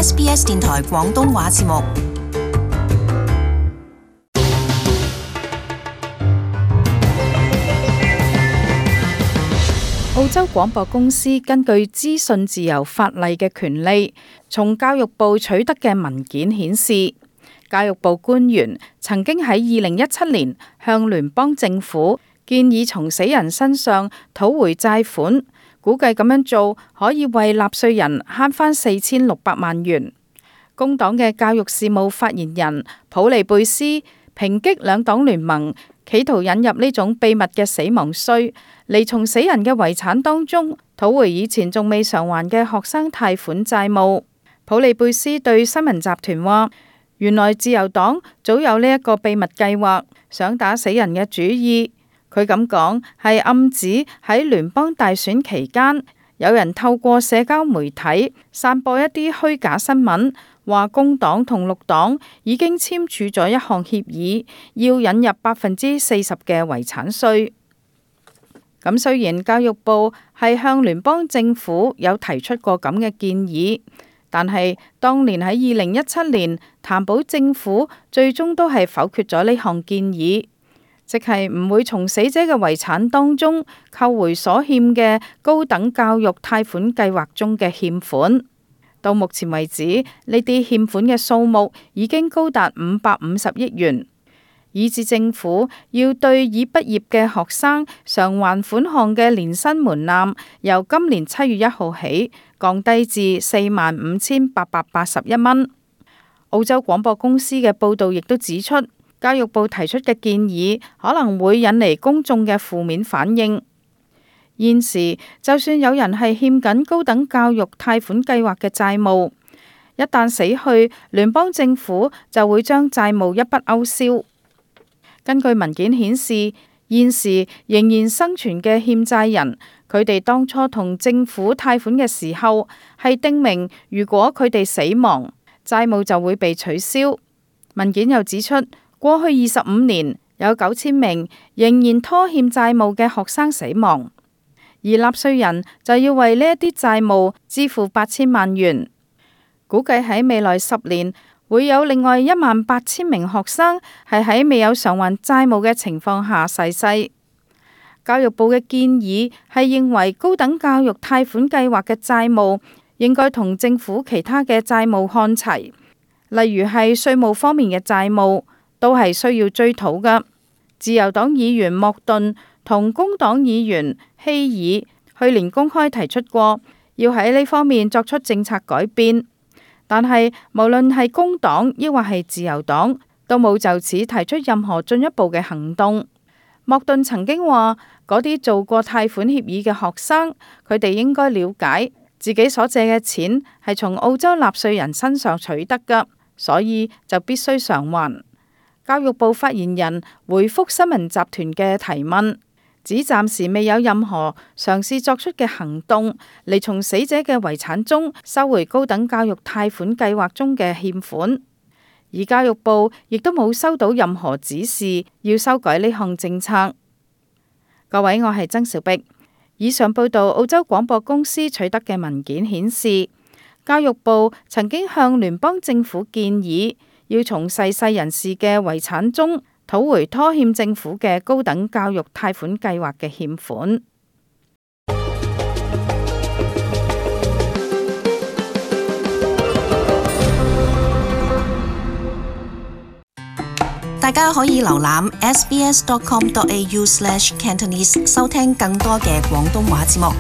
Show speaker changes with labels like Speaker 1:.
Speaker 1: SBS 電台廣東話節目。
Speaker 2: 澳洲廣播公司根據資訊自由法例嘅權利，從教育部取得嘅文件顯示，教育部官員曾經喺2017年向聯邦政府建議從死人身上討回債款，估計咁樣做可以為納稅人慳返4600萬元。工黨嘅教育事務發言人普利貝斯抨擊兩黨聯盟企圖引入呢種秘密嘅死亡稅，嚟從死人嘅遺產當中討回以前仲未償還嘅學生貸款債務。普利貝斯對新聞集團話，原來自由黨早有呢一個秘密計劃，想打死人嘅主意。佢咁講係暗指喺聯邦大選期間，有人透過社交媒體散播一啲虛假新聞，話工黨同綠黨已經簽署咗一項協議，要引入40%嘅遺產稅。咁雖然教育部係向聯邦政府有提出過咁嘅建議，但係當年喺2017年，譚寶政府最終都係否決咗呢項建議，即係唔會從死者嘅遺產當中扣回所欠嘅高等教育貸款計劃中嘅欠款。到目前為止，呢啲欠款嘅數目已經高達550億元，以致政府要對已畢業嘅學生償還款項嘅年薪門檻由今年7月1號起降低至45,881蚊。澳洲廣播公司嘅報導亦都指出，教育部提出嘅建議可能會引嚟公眾嘅負面反應。現時就算有人係欠緊高等教育貸款計劃嘅債務，一旦死去，聯邦政府就會將債務一筆勾銷。根據文件顯示，現時仍然生存嘅欠債人，佢哋當初同政府貸款嘅時候係訂明，如果佢哋死亡，債務就會被取消。文件又指出，過去25年有9000名仍然拖欠債務嘅學生死亡，而納稅人就要為呢一啲債務支付8000萬元。估計喺未來10年會有另外18000名學生係喺未有償還債務嘅情況下逝世。教育部嘅建議係認為高等教育貸款計劃嘅債務應該同政府其他嘅債務看齊，例如係稅務方面嘅債務都係需要追討嘅。自由黨議員莫頓同工黨議員希爾去年公開提出過，要喺呢方面作出政策改變，但係無論係工黨抑或係自由黨，都冇就此提出任何進一步嘅行動。莫頓曾經話，嗰啲做過貸款協議嘅學生，佢哋應該了解自己所借嘅錢係從澳洲納稅人身上取得㗎，所以就必須償還。教育部發言人回覆新聞集團嘅提問，指暫時未有任何嘗試作出嘅行動嚟從死者嘅遺產中收回高等教育貸款計劃中嘅欠款，而教育部亦都冇收到任何指示要修改呢項政策。各位，我係曾兆碧。以上報道澳洲廣播公司取得嘅文件顯示，教育部曾經向聯邦政府建議，要從逝世人士嘅遺產中討回拖欠政府嘅高等教育貸款計劃嘅欠款。
Speaker 1: 大家可以瀏覽 sbs.com.au/Cantonese 收聽更多嘅廣東話節目。